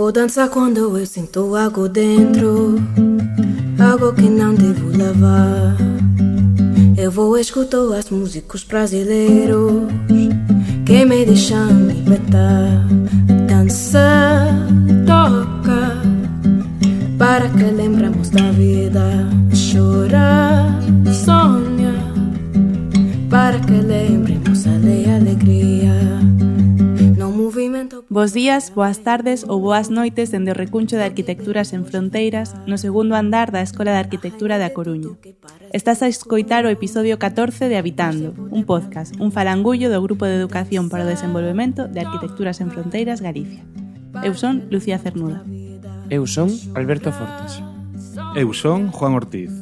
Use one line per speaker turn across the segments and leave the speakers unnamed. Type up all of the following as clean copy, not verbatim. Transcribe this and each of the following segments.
vou dançar quando eu sinto algo dentro, algo que não devo levar. Eu vou escutar as músicas brasileiros que me deixam libertar. Dança, toca, para que lembremos da vida. Chora, sonha, para que lembremos a alegria.
Bos días, boas tardes ou boas noites dende o Recuncho de Arquitectura Sen Fronteiras no segundo andar da Escola de Arquitectura da Coruña. Estás a escoitar o episodio 14 de Habitando, un podcast, un falangullo do Grupo de Educación para o Desenvolvemento de Arquitectura Sen Fronteiras Galicia. Eu son Lucía Cernuda.
Eu son Alberto Fortes.
Eu son Juan Ortiz.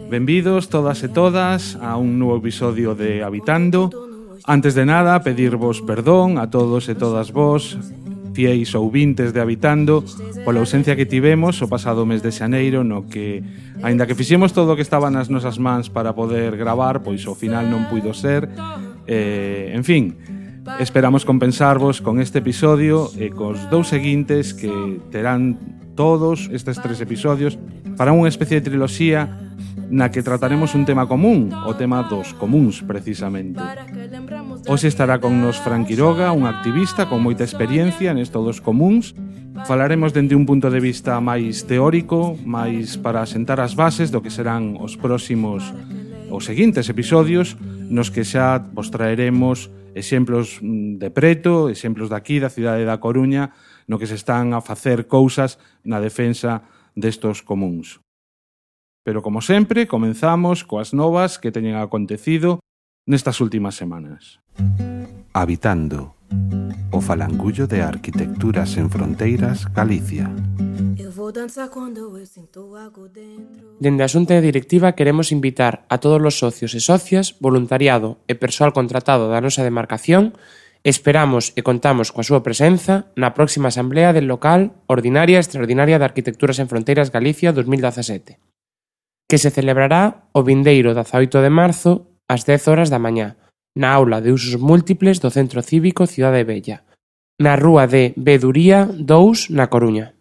Benvidos todas e todas a un novo episodio de Habitando. Antes de nada, pedirvos perdón a todos e todas vos, fieis ouvintes de Habitando, pola ausencia que tivemos o pasado mes de xaneiro, no que, aínda que fixemos todo o que estaba nas nosas mans para poder gravar, pois ao final non puido ser. En fin, esperamos compensarvos con este episodio e cos dous seguintes que terán todos estes 3 episodios para unha especie de triloxía na que trataremos un tema común, o tema dos comuns, precisamente. Hoxe estará con nos Fran Quiroga, un activista con moita experiencia nesto dos comuns. Falaremos dende un punto de vista máis teórico, máis para asentar as bases do que serán os seguintes episodios, nos que xa vos traeremos exemplos de preto, exemplos daqui da cidade da Coruña, no que se están a facer cousas na defensa destos comuns. Pero, como sempre, comenzamos coas novas que teñen acontecido nestas últimas semanas.
Habitando, o falangullo de Arquitectura Sen Fronteiras Galicia.
Dende a Xunta Directiva queremos invitar a todos os socios e socias, voluntariado e persoal contratado da nosa demarcación. Esperamos e contamos coa súa presenza na próxima Asamblea del Local Ordinaria e Extraordinaria de Arquitectura Sen Fronteiras Galicia 2017, que se celebrará o vindeiro 18 de marzo ás 10 horas da mañá, na aula de usos múltiples do Centro Cívico Cidade Vella, na rúa de Beduría 2, na Coruña.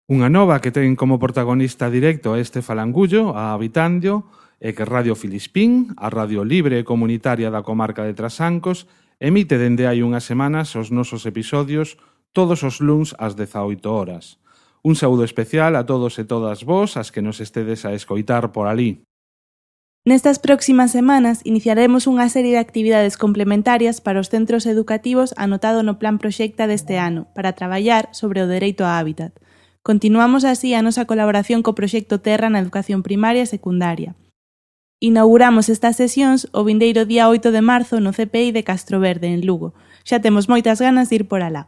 Unha nova que ten como protagonista directo a este falangullo, a Habitando, é que Radio Filispín, a radio libre e comunitaria da comarca de Trasancos, emite dende hai unhas semanas os nosos episodios todos os luns ás 18 horas. Un saúdo especial a todos e todas vos, as que nos estedes a escoitar por alí.
Nestas próximas semanas iniciaremos unha serie de actividades complementarias para os centros educativos anotado no Plan Proxecta deste ano para traballar sobre o dereito a hábitat. Continuamos así a nosa colaboración co proxecto Terra na educación primaria e secundaria. Inauguramos estas sesións o vindeiro día 8 de marzo no CPI de Castroverde, en Lugo. Xa temos moitas ganas de ir por alá.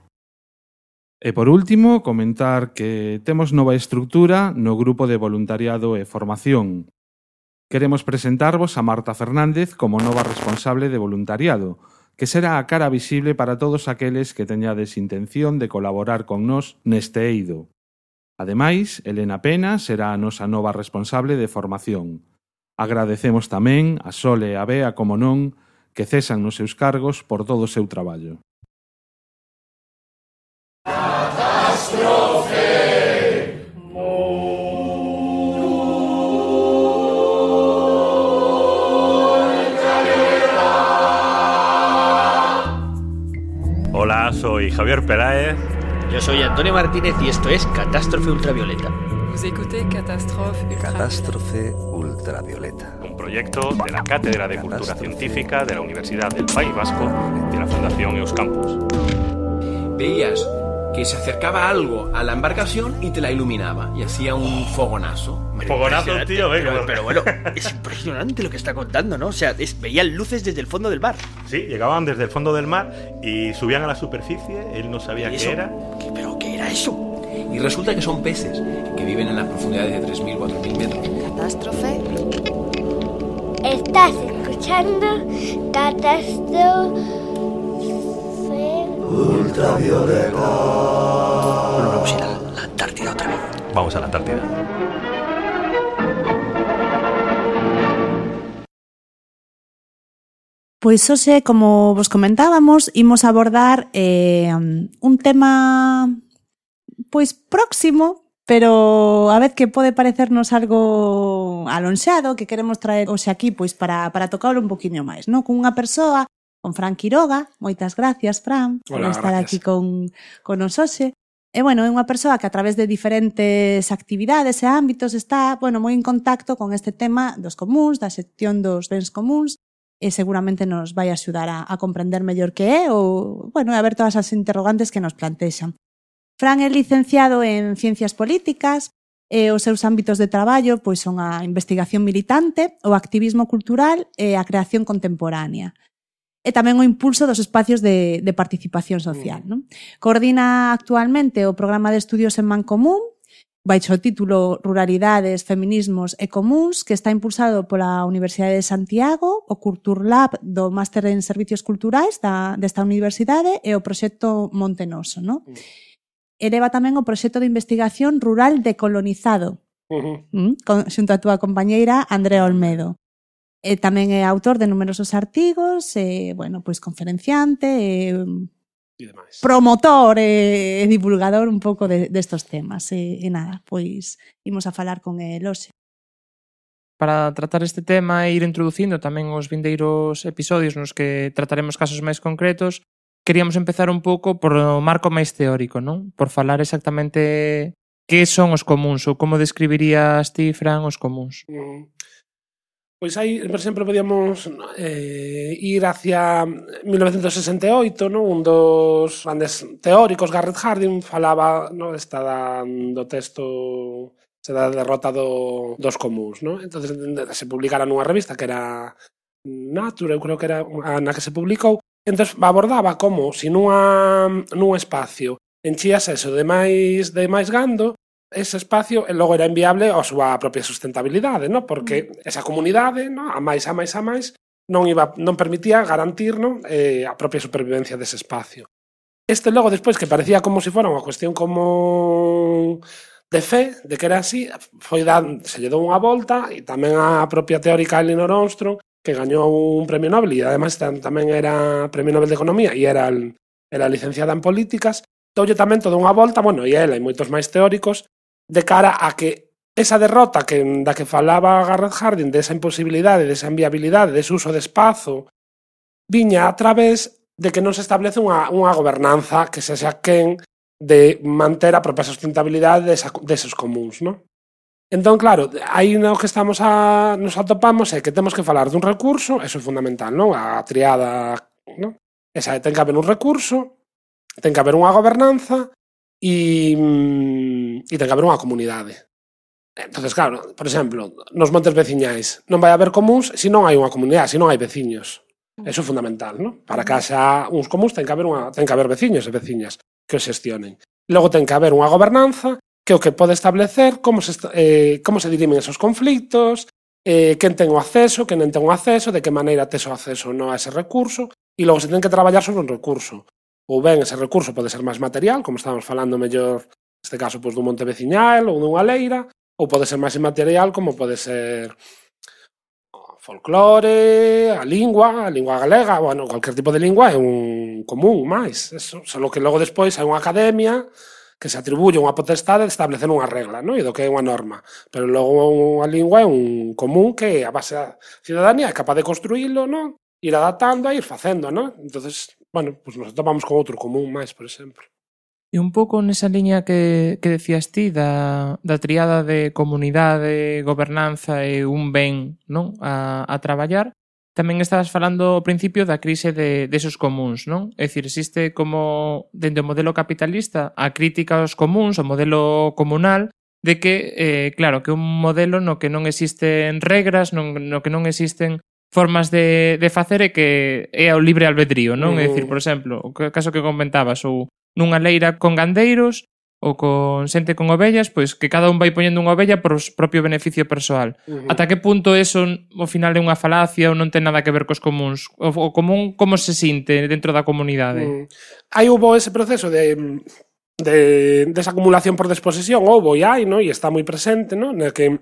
E por último, comentar que temos nova estructura no grupo de voluntariado e formación. Queremos presentarvos a Marta Fernández como nova responsable de voluntariado, que será a cara visible para todos aqueles que teñades intención de colaborar con nós neste eido. Ademais, Elena Pena será a nosa nova responsable de formación. Agradecemos tamén a Sole e a Bea, como non, que cesan nos seus cargos por todo o seu traballo.
Hola, soy Javier Peláez.
Yo soy Antonio Martínez y esto es Catástrofe Ultravioleta.
Vous écoutez
Catástrofe Ultravioleta.
Un proyecto de la Cátedra de Cultura Científica de la Universidad del País Vasco y de la Fundación Euskampus.
Veías que se acercaba algo a la embarcación y te la iluminaba y hacía un fogonazo.
Fogonazo, tío, venga.
Pero bueno, es impresionante lo que está contando, ¿no? O sea, veían luces desde el fondo del mar.
Sí, llegaban desde el fondo del mar y subían a la superficie. Él no sabía qué era.
¿Pero qué era eso? Y resulta que son peces que viven en las profundidades de 3.000, 4.000 metros.
Catástrofe. Estás escuchando Catástrofe
Ultravioleta.
Bueno, vamos a ir a la Antártida otra vez.
Vamos a la Antártida.
Pois hoxe, como vos comentábamos, imos abordar un tema pois próximo, pero a vez que pode parecernos algo alonxado, que queremos traer hoxe aquí pois para tocarlo un poquinho máis, non? Con unha persoa, con Fran Quiroga. Moitas gracias, Fran, por estar aquí con nos hoxe. E, bueno, é unha persoa que a través de diferentes actividades e ámbitos está, bueno, moi en contacto con este tema dos comúns, da xestión dos bens comúns, e seguramente nos vai axudar a comprender mellor que é ou, bueno, a ver todas as interrogantes que nos plantexan. Fran é licenciado en Ciencias Políticas e os seus ámbitos de traballo pois son a investigación militante, o activismo cultural e a creación contemporánea. E tamén o impulso dos espacios de participación social. Non? Coordina actualmente o programa de estudios en Mancomún, baixo o título Ruralidades, Feminismos e Comúns, que está impulsado pola Universidade de Santiago, o Culturlab do Máster en Servicios Culturais desta universidade e o proxecto Montenoso. Non? Eleva tamén o proxecto de investigación rural decolonizado, xunto a túa compañeira Andrea Olmedo. E tamén é autor de numerosos artigos, bueno, pois conferenciante, promotor e divulgador un pouco destos temas. E nada, pois imos a falar con el hoxe.
Para tratar este tema e ir introducindo tamén os vindeiros episodios nos que trataremos casos máis concretos, queríamos empezar un pouco por o marco máis teórico, non? Por falar exactamente que son os comúns ou como describirías ti, Fran, os comúns.
Pois aí, por exemplo, podíamos ir hacia 1968, non? Un dos grandes teóricos, Garrett Hardin, falaba, non, do texto da derrota dos comúns, non? Entonces se publicara nunha revista que era Nature, eu creo que era na que se publicou. Entón abordaba como se nun espacio enchías eso de máis gando, ese espacio logo era inviable a súa propia sustentabilidade, non? Porque esa comunidade, non? A máis non permitía garantir, non? A propia supervivencia dese espacio. Este logo despois que parecía como se fora unha cuestión como de fe, de que era así, se lle dou unha volta e tamén a propia teórica Elinor Ostrom, que gañou un premio Nobel e ademais tamén era premio Nobel de Economía e era licenciada en políticas, doulle tamén toda unha volta, bueno, e ela e moitos máis teóricos, de cara a que esa derrota da que falaba Garrett Hardin, desa imposibilidade, desa inviabilidade, dese uso de espazo, viña a través de que non se establece unha gobernanza que sexa quen de manter a propia sustentabilidade deses comúns, non? Entón, claro, aí no que nos atopamos é que temos que falar dun recurso, eso é fundamental, non? A triada, non? Esa ten que haber un recurso, ten que haber unha gobernanza e ten que haber unha comunidade. Entonces, claro, por exemplo, nos montes veciñais non vai haber comúns se non hai unha comunidade, se non hai veciños. Eso é fundamental, non? Para que haxa uns comúns ten que haber veciños e veciñas que os xestionen. Logo ten que haber unha gobernanza que o que pode establecer como se dirimen esos conflitos, quen ten o acceso, quen non ten o acceso, de que maneira tes o acceso non a ese recurso, e logo se ten que traballar sobre un recurso. Ou ben ese recurso pode ser máis material, como estamos falando mellor, neste caso, pois, dun monte veciñal ou dunha leira, ou pode ser máis inmaterial, como pode ser folclore, a lingua galega, bueno, cualquier tipo de lingua é un común máis. Eso, só que logo despois hai unha academia que se atribuye unha potestade de establecer unha regla, non? E do que é unha norma. Pero logo unha lingua é un común que a base da cidadanía é capaz de construílo, non? Ir adaptando e ir facendo, non? Entonces, bueno, pues nos topamos con outro común máis, por exemplo.
E un pouco nesa liña que decías ti da triada de comunidade, gobernanza e un ben, non? A traballar, tamén estabas falando ao principio da crise desos comúns, non? É dicir, existe como, dentro do modelo capitalista, a crítica aos comúns, o modelo comunal, de que, claro, que un modelo no que non existen regras, no que non existen formas de facer e que é o libre albedrío, non? É dicir, por exemplo, o caso que comentabas, ou nunha leira con gandeiros ou con xente con ovellas, pois que cada un vai poñendo unha ovella por o propio beneficio persoal. Ata que punto eso ao final é unha falacia ou non ten nada que ver cos comúns? O común como se sinte dentro da comunidade?
Aí houve ese proceso desa acumulación por desposesión, houve e hai, non? E está moi presente, non? No que,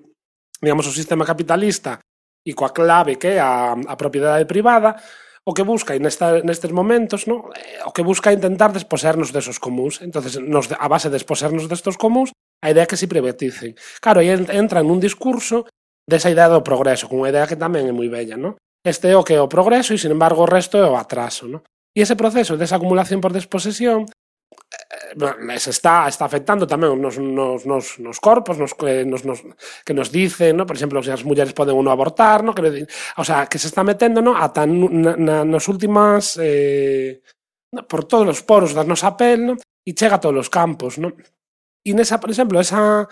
digamos, o sistema capitalista e coa clave que é a propiedade privada, o que busca nestes momentos, no? O que busca intentar desposernos desos comuns. Entonces, a base de desposernos destos comuns, a idea que se privaticen. Claro, aí entra nun discurso desa idea do progreso, con unha idea que tamén é moi bella, no? Este é o que é o progreso e, sin embargo, o resto é o atraso, no? E ese proceso desa acumulación por desposesión se está afectando tamén nos corpos, que nos dicen, no? Por exemplo, se as mulleres poden ou non abortar, no? O sea, que se está metendo, no? Ata nas últimas por todos os poros da nosa pel, no? E chega a todos os campos, no? E nesa, por exemplo, esa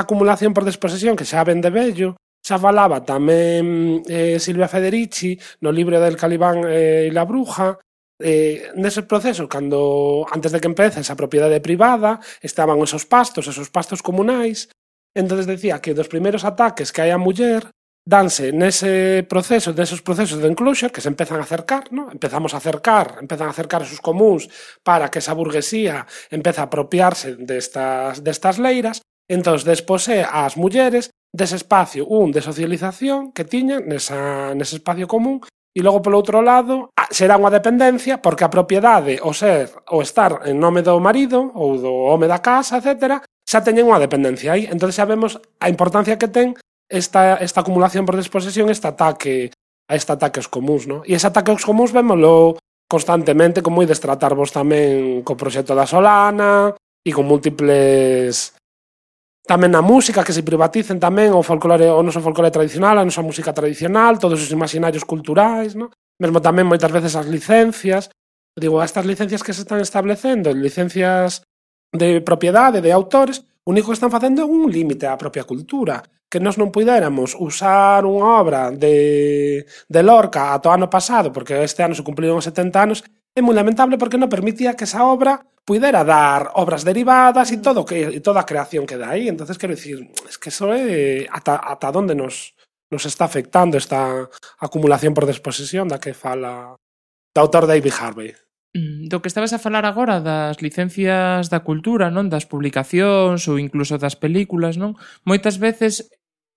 acumulación por desposesión que xa ven de vello, xa falaba tamén Silvia Federici no libro del Calibán e la bruja. Nese proceso, antes de que empece esa propiedade privada, estaban esos pastos comunais. Entonces decía que dos primeiros ataques que hai á muller danse nesos procesos de enclosure que se empezan a acercar, ¿no? empezan a acercar esos comuns para que esa burguesía empece a apropiarse destas leiras. Entón, despose ás mulleres dese espacio de socialización que tiñan nese espacio común. E logo, polo outro lado, será unha dependencia porque a propiedade, o estar en nome do marido ou do home da casa, etc., xa teñen unha dependencia aí. Entón xa vemos a importancia que ten esta acumulación por desposesión, este ataque aos comuns, no? E ese ataque aos comuns vémolo constantemente, como ides tratarvos tamén co proxecto da Solana e con múltiples... Tamén na música, que se privaticen tamén o noso folclore tradicional, a nosa música tradicional, todos os imaginarios culturais, no? Mesmo tamén moitas veces as licencias. Digo, estas licencias que se están establecendo, licencias de propiedade, de autores, o único que están facendo é un límite á propia cultura. Que nós non puidéramos usar unha obra de Lorca ata o ano pasado, porque este ano se cumpliron os 70 anos, é moi lamentable porque non permitía que esa obra puidera dar obras derivadas e toda a creación que dá aí. Entonces, quero dicir, es que eso é ata onde nos está afectando esta acumulación por desposesión da que fala o autor David Harvey.
Do que estabas a falar agora das licencias da cultura, non? Das publicacións ou incluso das películas, non? Moitas veces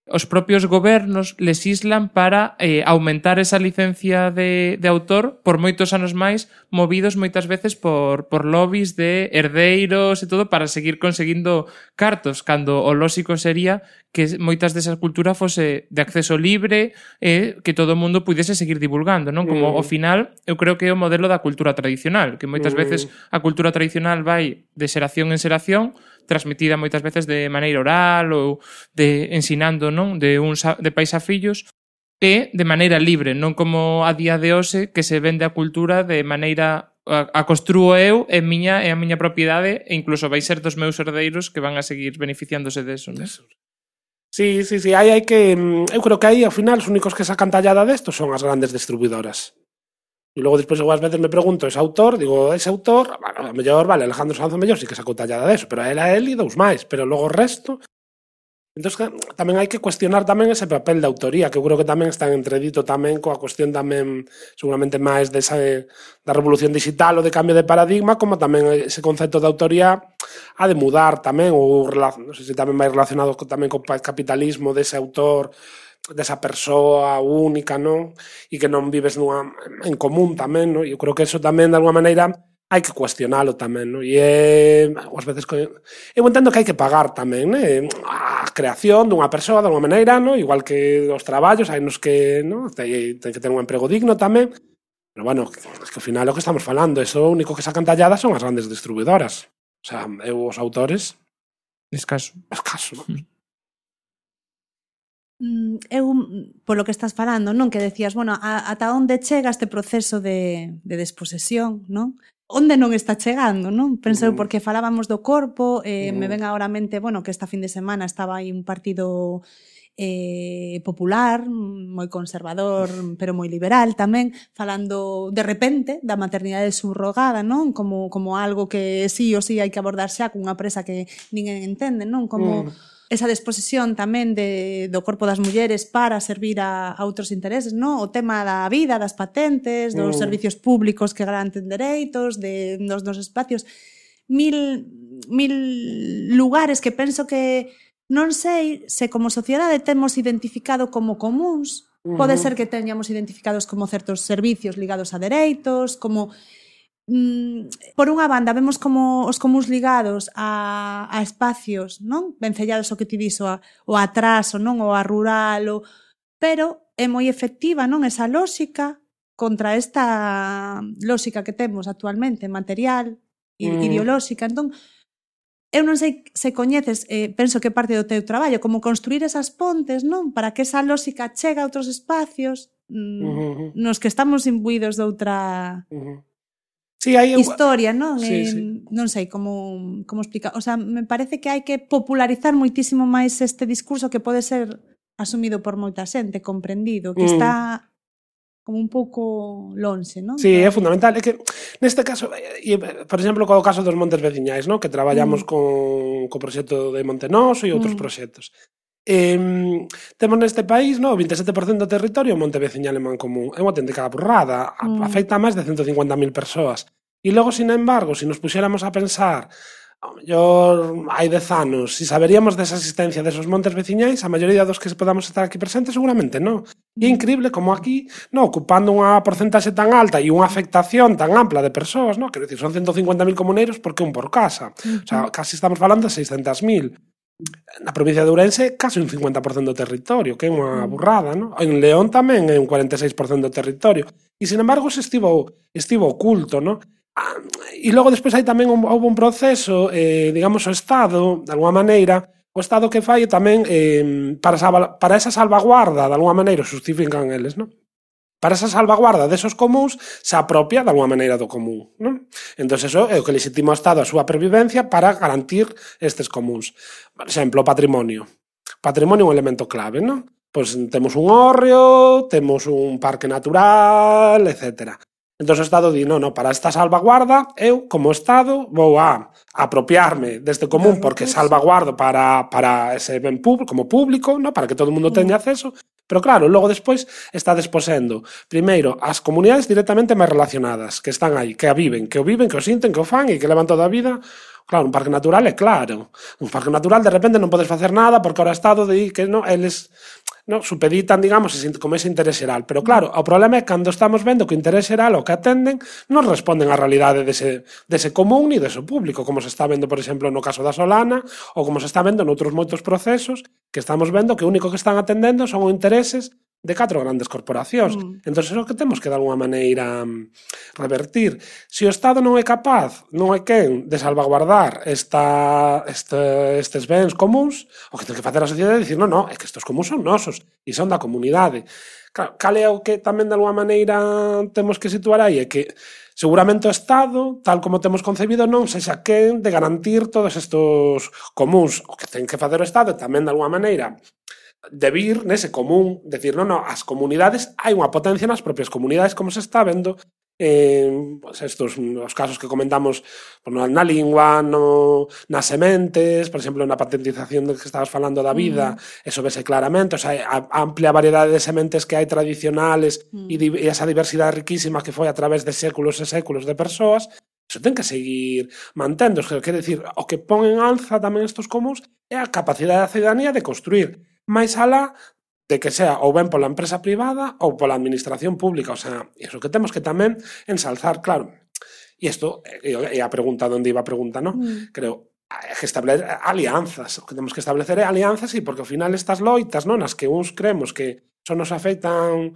os propios gobernos lesislan para aumentar esa licencia de autor por moitos anos máis, movidos moitas veces por lobbies de herdeiros e todo para seguir conseguindo cartos, cando o lóxico sería que moitas desa cultura fose de acceso libre e que todo o mundo pudese seguir divulgando, non? Como ao final, eu creo que é o modelo da cultura tradicional, que moitas veces a cultura tradicional vai de xeración en xeración, transmitida moitas veces de maneira oral ou de ensinando, non? De pais a fillos, e de maneira libre, non como a día de hoxe que se vende a cultura de maneira a construo eu e a miña propiedade e incluso vai ser dos meus herdeiros que van a seguir beneficiándose deso, non?
Sí, hai que... Eu creo que aí, ao final, os únicos que sacan tallada desto son as grandes distribuidoras. E logo, despois, ás veces me pregunto, ese autor, a mellor, vale, Alejandro Sanz, a mellor sí que sacou tallada deso, pero a él e dous máis, pero logo o resto... Entón, tamén hai que cuestionar tamén ese papel de autoría, que eu creo que tamén está en entredito tamén coa cuestión tamén, seguramente máis da revolución digital ou de cambio de paradigma, como tamén ese concepto de autoría ha de mudar tamén, ou non sei se tamén vai relacionado tamén co capitalismo dese autor, desa persoa única, non? E que non vives en común tamén, non? E eu creo que eso tamén, de alguma maneira, hai que cuestionalo tamén, non? E ás veces eu entendo que hai que pagar tamén, né? A creación dunha persoa, de alguma maneira, non? Igual que os traballos, hai nos que, non? Ten que ter un emprego digno tamén. Pero, bueno, es que ao final o que estamos falando, eso único que sacan talladas son as grandes distribuidoras. O sea, os autores...
Escaso,
non?
Eu, polo que estás falando, non? Que decías, bueno, ata onde chega este proceso de desposesión, non? Onde non está chegando, non? Pensei, porque falábamos do corpo, me ven agora a mente, bueno, que esta fin de semana estaba aí un partido popular, moi conservador, pero moi liberal tamén, falando de repente da maternidade subrogada, non? Como algo que sí ou sí hai que abordar xa cunha presa que ninguén entende, non? Como esa disposición tamén do corpo das mulleres para servir a outros intereses, non? O tema da vida, das patentes, dos servicios públicos que garanten dereitos, dos espacios, mil lugares que penso que non sei se como sociedade temos identificado como comuns Pode ser que teñamos identificados como certos servicios ligados a dereitos, como por unha banda vemos como os comuns ligados a espacios, non? Vencellados o que ti dixo, o atraso, non? O a rural, pero é moi efectiva, non? Esa lóxica contra esta lóxica que temos actualmente, material, ideolóxica. Entón, eu non sei se coñeces, penso que parte do teu traballo, como construir esas pontes, non? Para que esa lóxica chegue a outros espacios nos que estamos imbuídos de outra...
Sí, hai
historia, non?
Sí.
Non sei como explicar. O sea, me parece que hai que popularizar moitísimo máis este discurso que pode ser asumido por moita xente, comprendido, que está como un pouco lonxe, non?
Sí, é fundamental. É que neste caso, por exemplo, co caso dos montes veciñais, non? Que traballamos co proxecto de Montenoso e outros proxectos. Temos neste país, no, 27% do territorio monte veciñal en Mancomún. É unha auténtica burrada, afecta a máis de 150.000 persoas. E logo, sin embargo, se nos puxéramos a pensar, ao mellor hai 10 anos, se saberíamos desa existencia desos montes veciñais, a maioría dos que podamos estar aquí presentes seguramente non. E é increíble como aquí, no, ocupando unha porcentaxe tan alta e unha afectación tan ampla de persoas, no, quero dicir, son 150.000 comuneiros porque un por casa. O sea, casi estamos falando de 600.000. Na provincia de Ourense, casi un 50% do territorio, que é unha burrada, non? En León tamén é un 46% do territorio. E, sin embargo, se estivo oculto, non? E logo, despois, hai tamén houve un proceso, digamos, o Estado, de alguma maneira, o Estado que fai tamén para esa salvaguarda, de alguma maneira, justifican eles, non? Para esa salvaguarda desos comuns se apropia de alguma maneira do común, non? Entón, eso é o que legitima o Estado a súa pervivencia para garantir estes comuns. Por exemplo, o patrimonio. Patrimonio é un elemento clave, non? Pois temos un hórreo, temos un parque natural, etc. Entón, o Estado di, non, para esta salvaguarda, eu, como Estado, vou a apropiarme deste común porque salvaguardo para ese ben público, como público, non? Para que todo o mundo teña acceso. Pero claro, logo despois está desposendo primeiro as comunidades directamente máis relacionadas, que están aí, que o viven, que o sinten, que o fan e que levan toda a vida. Claro, un parque natural é claro. Un parque natural de repente non podes facer nada porque ahora o Estado di que non, eles supeditan, digamos, como ese interés xeral. Pero claro, o problema é cando estamos vendo que o interés xeral o que atenden non responden á realidade dese común ni dese público, como se está vendo, por exemplo, no caso da Solana ou como se está vendo noutros moitos procesos que estamos vendo que o único que están atendendo son os intereses de 4 grandes corporacións. Entón, é o que temos que, de alguma maneira, revertir. Se o Estado non é capaz, non é quen, de salvaguardar estes bens comuns, o que ten que facer a sociedade é dicir, non, é que estes comuns son nosos e son da comunidade. Cal é o que tamén, de alguma maneira, temos que situar aí? É que seguramente o Estado, tal como temos concebido, non sexa quen de garantir todos estes comuns. O que ten que facer o Estado tamén, de alguma maneira, de vir nese común, decir, non, as comunidades, hai unha potencia nas propias comunidades, como se está vendo pues estos, os casos que comentamos na lingua, nas sementes, por exemplo, na patentización de que estabas falando da vida, eso vese claramente, o sea, a amplia variedade de sementes que hai tradicionales e esa diversidade riquísima que foi a través de séculos e séculos de persoas, eso ten que seguir mantendo. Quer decir, o que pon en alza tamén estos comuns é a capacidade da ciudadanía de construir máis alá de que sea ou ben pola empresa privada ou pola administración pública. O sea, iso que temos que tamén ensalzar, claro. E isto é a pregunta onde iba a pregunta, non? Creo, que establecer alianzas. O que temos que establecer é alianzas e porque ao final estas loitas, non, nas que uns creemos que só nos afectan,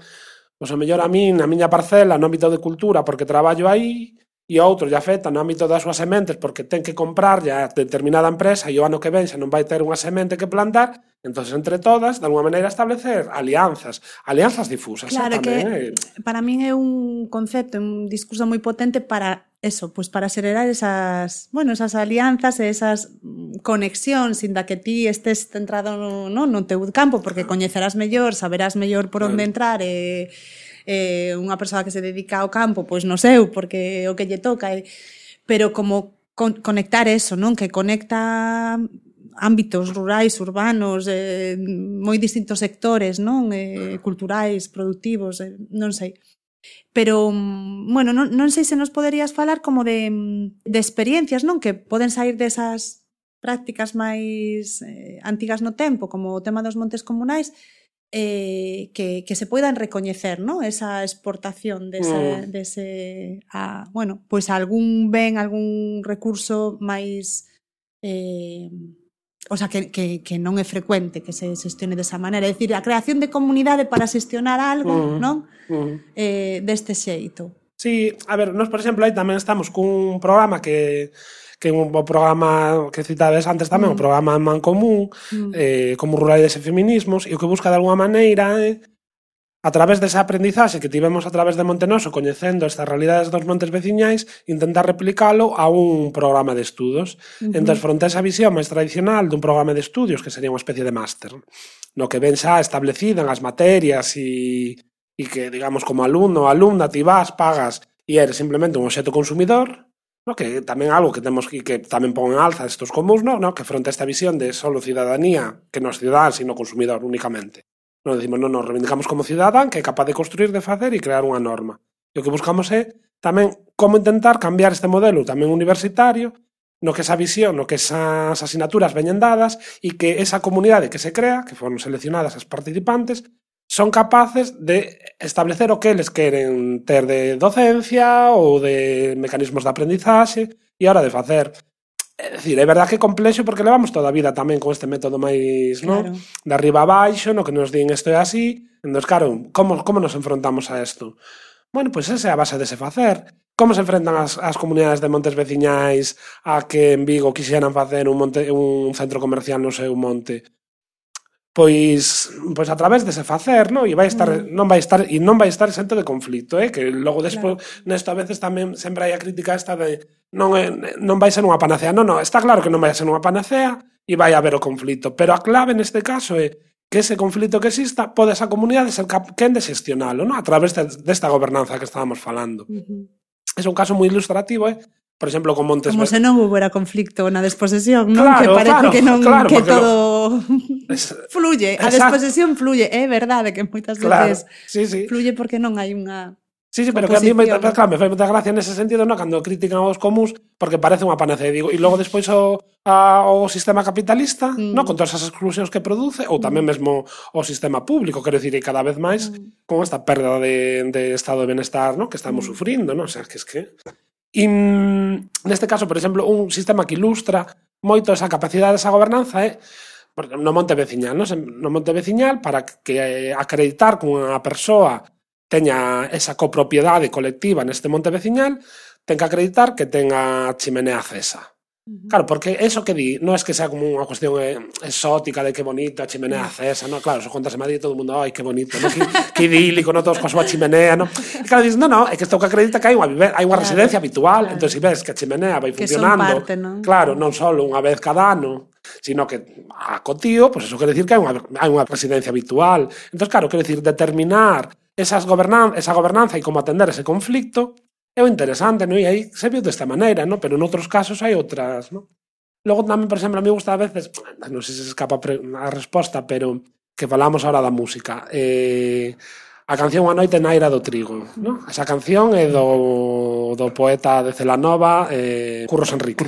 pois, a mellor a min, na miña parcela, no ámbito de cultura, porque traballo aí, e a outro lle afecta no ámbito das súas sementes porque ten que comprar a determinada empresa e o ano que ven xa non vai ter unha semente que plantar, entonces entre todas, de alguma maneira, establecer alianzas difusas.
Claro, que para min é un concepto, un discurso moi potente para eso, pues para acelerar esas alianzas e esas conexións, inda que ti estés centrado no teu campo, porque coñecerás mellor, saberás mellor por onde entrar unha persoa que se dedica ao campo, pois no seu, porque o que lle toca, pero como conectar eso, non? Que conecta ámbitos rurais, urbanos, moi distintos sectores, non? Culturais, productivos, non sei. Pero, bueno, non sei se nos poderías falar como de experiencias, non? Que poden sair desas prácticas máis antigas no tempo, como o tema dos montes comunais, que se poidan recoñecer, ¿no? Esa exportación dese bueno, pois algún ben, algún recurso máis o sea, que non é frecuente que se xestione desa maneira, é dicir, a creación de comunidade para xestionar algo, non? Deste xeito.
Sí, a ver, nós, por exemplo, aí tamén estamos cun programa que un programa que citades antes tamén, o programa Mancomún, como ruralidades e feminismos, e o que busca de alguma maneira a través desa aprendizaxe que tivemos a través de Montenoso, coñecendo estas realidades dos montes veciñais, intentar replicalo a un programa de estudos. Entón, fronte a esa visión máis tradicional dun programa de estudios, que sería unha especie de máster, no que ven xa establecida en as materias e que, digamos, como alumno ou alumna, ti vas, pagas e eres simplemente un obxecto consumidor, no, que tamén algo que temos que tamén pon en alza estos comuns, no, que fronte a esta visión de solo cidadanía, que non é cidadán, sino consumidor únicamente. Non decimos, non, nos reivindicamos como cidadán que é capaz de construir, de facer e crear unha norma. E o que buscamos é tamén como intentar cambiar este modelo tamén universitario, no que esa visión, no que esas asignaturas veñen dadas e que esa comunidade que se crea, que foron seleccionadas as participantes, son capaces de establecer o que eles queren ter de docencia ou de mecanismos de aprendizaxe e a hora de facer. É dicir, é verdad que é complexo porque levamos toda a vida tamén con este método máis, claro, de arriba a baixo, no que nos din isto é así. Entón, claro, como nos enfrontamos a isto? Bueno, pois esa é a base dese facer. Como se enfrentan as comunidades de montes veciñais a que en Vigo quixeran facer un centro comercial no seu monte? Pois a través dese facer, non? E non vai estar exento de conflito, que logo despois, claro, nesto a veces tamén sempre hai a crítica esta de non vai ser unha panacea. Non, está claro que non vai ser unha panacea e vai haber o conflito, pero a clave neste caso é que ese conflito que exista pode esa comunidade ser quen de xestionalo, non? A través desta gobernanza que estábamos falando. É un caso moi ilustrativo, por exemplo, con Montes...
Como se non houbera conflicto na desposesión, non? Claro, que parece que non, que todo fluye, a desposesión fluye, é verdade que moitas veces fluye porque non hai unha...
Sí, pero que a mí me fai moita gracia nese sentido, non? Cando critican aos comuns, porque parece unha panacea, digo, e logo despois o sistema capitalista, non? Con todas as exclusións que produce, ou tamén mesmo o sistema público, quero dicir, e cada vez máis con esta perda de estado de benestar, non? Que estamos sufrindo, non? O sea, que es que... E neste caso, por exemplo, un sistema que ilustra moito esa capacidade desa gobernanza é no monte veciñal, non? No monte veciñal, para que acreditar que unha persoa teña esa copropiedade colectiva neste monte veciñal, ten que acreditar que tenga chimenea acesa. Claro, porque eso que di non é que sea como unha cuestión exótica de que bonito a chimenea acesa, non? Claro, se contas en Madrid todo o mundo, ai, que bonito, non? Que idílico, non? Todos coa súa chimenea, non? E claro, dices, non, é que isto que acredita que hai unha residencia habitual, entón se ves que a chimenea vai funcionando, claro, non só unha vez cada ano, sino que a cotío, pois eso quere dicir que hai unha residencia habitual. Entón, claro, quere dicir determinar esa gobernanza e como atender ese conflicto é o interesante, non? E aí se viu desta maneira, non? Pero en outros casos hai outras, non? Logo tamén, por exemplo, a mí gusta a veces, non sei se se escapa a resposta, pero que falamos ahora da música. A canción A noite na ira do trigo, non? Esa canción é do poeta de Celanova, Curros Enrique.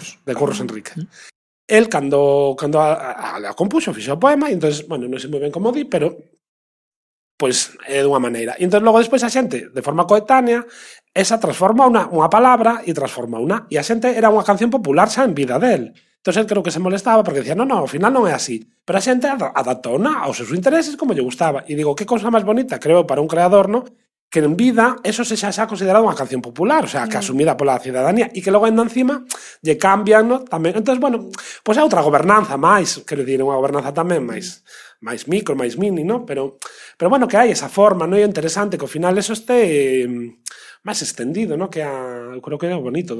El, cando a compuxo, fixo o poema, e entón, bueno, non sei moi ben como di, pero pois é dunha maneira. E entón logo despois a xente, de forma coetánea, esa transforma unha palabra e transforma unha. E a xente era unha canción popular xa en vida del. Entón el creo que se molestaba porque decía, non, ao final non é así. Pero a xente adaptouna aos seus intereses como lle gustaba. E digo, que cousa máis bonita, creo, para un creador, non? Que en vida eso se xa considerado unha canción popular, o sea, que asumida pola cidadanía, e que logo ainda encima lle cambian, non? Tamén. Entón, bueno, pois é outra gobernanza máis, quero dicir, unha gobernanza tamén máis micro, máis mini, non? Pero bueno, que hai esa forma, non? É interesante que ao final eso este máis extendido, non? Que eu creo que é o bonito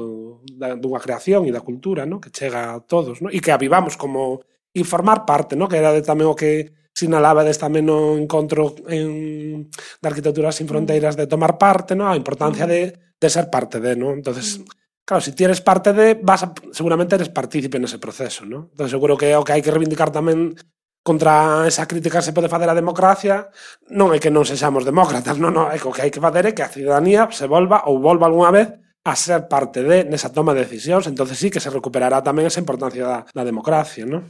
dunha creación e da cultura, non? Que chega a todos, non? E que avivamos como informar parte, non? Que era tamén o que sinalabades tamén no encontro de Arquitectura Sin Fronteiras de tomar parte, non? A importancia de ser parte de, non? Entonces, claro, se ti eres parte de, seguramente eres partícipe nese proceso, non? Entonces, seguro que o que hai que reivindicar tamén contra esa crítica que se pode fazer a democracia non é que non sexamos demócratas, non, é que o que hai que fazer é que a cidadanía se volva algunha vez a ser parte nesa toma de decisións, entonces sí que se recuperará tamén esa importancia da democracia, non?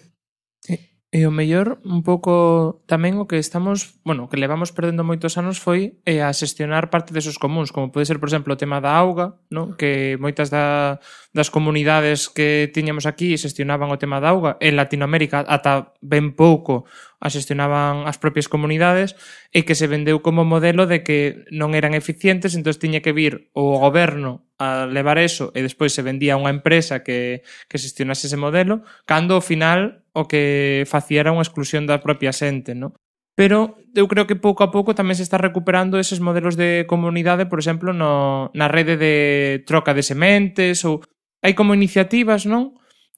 Sí. E o mellor, un pouco tamén o que estamos, bueno, que levamos perdendo moitos anos foi a xestionar parte desos comuns, como pode ser, por exemplo, o tema da auga, non? Que moitas das comunidades que tiñamos aquí xestionaban o tema da auga. En Latinoamérica, ata ben pouco, a xestionaban as propias comunidades e que se vendeu como modelo de que non eran eficientes, entón tiña que vir o goberno a levar eso e despois se vendía a unha empresa que xestionase ese modelo, cando ao final o que facía era unha exclusión da propia xente, non? Pero eu creo que pouco a pouco tamén se está recuperando eses modelos de comunidade, por exemplo, na rede de troca de sementes, ou hai como iniciativas, non?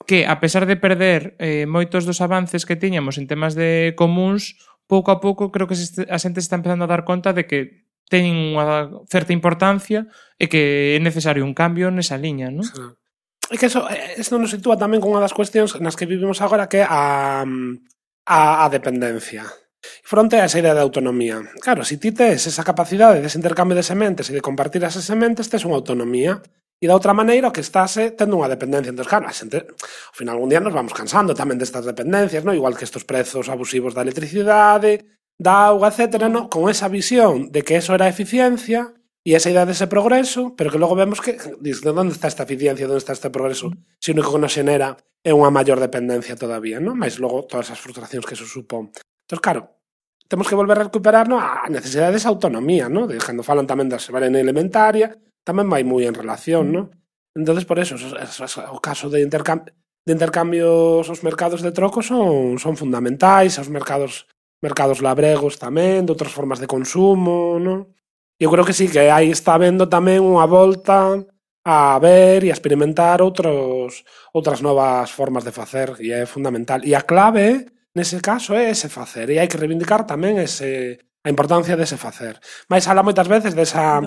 Que, a pesar de perder moitos dos avances que tiñamos en temas de comuns, pouco a pouco creo que a xente se está empezando a dar conta de que teñen unha certa importancia e que é necesario un cambio nesa liña, non?
Sí. É que eso nos sitúa tamén con unha das cuestións nas que vivimos agora, que é a dependencia. Fronte a esa idea de autonomía. Claro, se ti tes esa capacidade dese intercambio de sementes e de compartir esas sementes, tes unha autonomía. E da outra maneira o que estás tendo unha dependencia. Entón, claro, a xente, ao final algún día nos vamos cansando tamén destas dependencias, non? Igual que estos prezos abusivos da electricidade, da auga, etcétera, non? Con esa visión de que eso era eficiencia e esa idea dese progreso, pero que logo vemos que, diz, onde está esta eficiencia, onde está este progreso, se o único que nos xenera é unha maior dependencia todavía, non? Mais logo todas as frustracións que eso supón. Entón, claro, temos que volver a recuperar, non? A necesidade desa autonomía, non? De cando falan tamén da soberanía alimentaria, tamén vai moi en relación, non? Entonces, por eso, o caso de intercambios, os mercados de troco son fundamentais, os mercados labregos tamén, de outras formas de consumo, non? Eu creo que sí, que aí está habendo tamén unha volta a ver e a experimentar outras novas formas de facer, e é fundamental. E a clave, nese caso, é ese facer, e hai que reivindicar tamén a importancia dese facer. Mais habla moitas veces desa...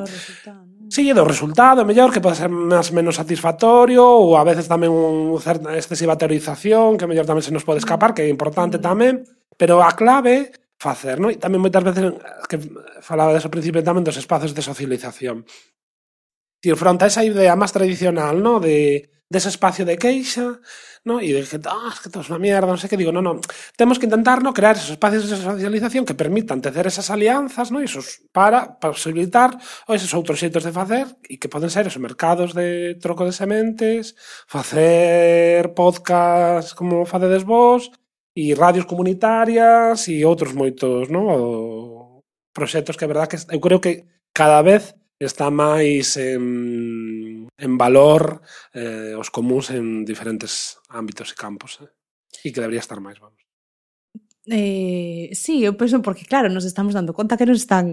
Sí, do resultado, mellor, que pode ser máis menos satisfactorio, ou a veces tamén unha certa excesiva teorización, que mellor tamén se nos pode escapar, que é importante tamén, pero a clave facer, non? E tamén moitas veces que falaba deso principio tamén dos espacios de socialización. E fronte a esa idea máis tradicional, non? Dese espacio de queixa, non? E de que, que todo é unha mierda, non sei que, digo, non. Temos que intentar, non? Crear esos espacios de socialización que permitan tecer esas alianzas, non? Esos para posibilitar esos outros xeitos de facer, e que poden ser esos mercados de troco de sementes, facer podcast como facedes vos, e radios comunitarias e outros moitos, non? Proxectos que é verdad que eu creo que cada vez está máis en valor os comuns en diferentes ámbitos e campos, e que debería estar máis, vamos.
Sí, eu penso porque, claro, nos estamos dando conta que nos están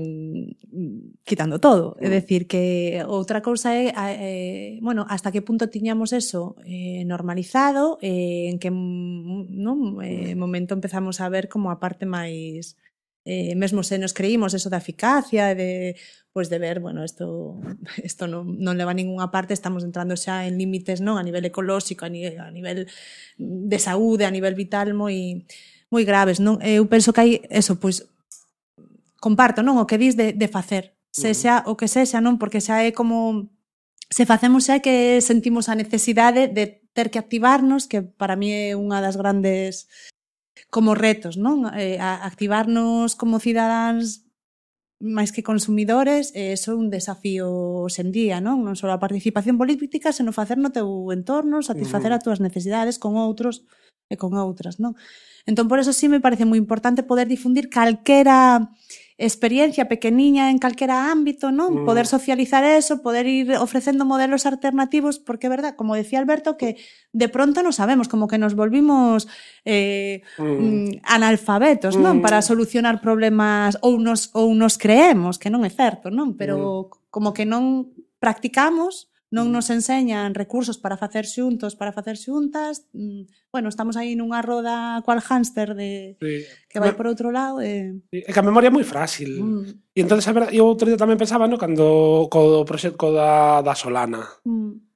quitando todo. É dicir, que outra cousa é, bueno, hasta que punto tiñamos eso normalizado, en que momento empezamos a ver como a parte máis... mesmo se nos creímos eso da eficacia, de ver, bueno, isto non leva a ninguna parte, estamos entrando xa en límites, non, a nivel ecolóxico, a nivel de saúde, a nivel vital moi graves, non? Eu penso que hai eso, pois comparto, non, o que dis de facer, sexa o que sexa, non, porque xa é como se facemos xa que sentimos a necesidade de ter que activarnos, que para mí é unha das grandes como retos, non? Activarnos como cidadáns máis que consumidores, é un desafío hoxendía, non? Non só a participación política, senón facer no teu entorno, satisfacer as túas necesidades con outros e con outras, non? Entón, por eso sí me parece moi importante poder difundir calquera experiencia pequeniña en calquera ámbito, non? Poder socializar eso, poder ir ofrecendo modelos alternativos, porque é verdad, como decía Alberto, que de pronto non sabemos, como que nos volvimos analfabetos, non? Para solucionar problemas, ou nos creemos, que non é certo, non? Pero como que non practicamos, non nos enseñan recursos para facer xuntos, para facer xuntas. Bueno, estamos aí nunha roda cual hámster que vai por outro lado. É
que a memoria é moi frágil. E entón, eu outro día tamén pensaba, no, cando co proxecto da Solana.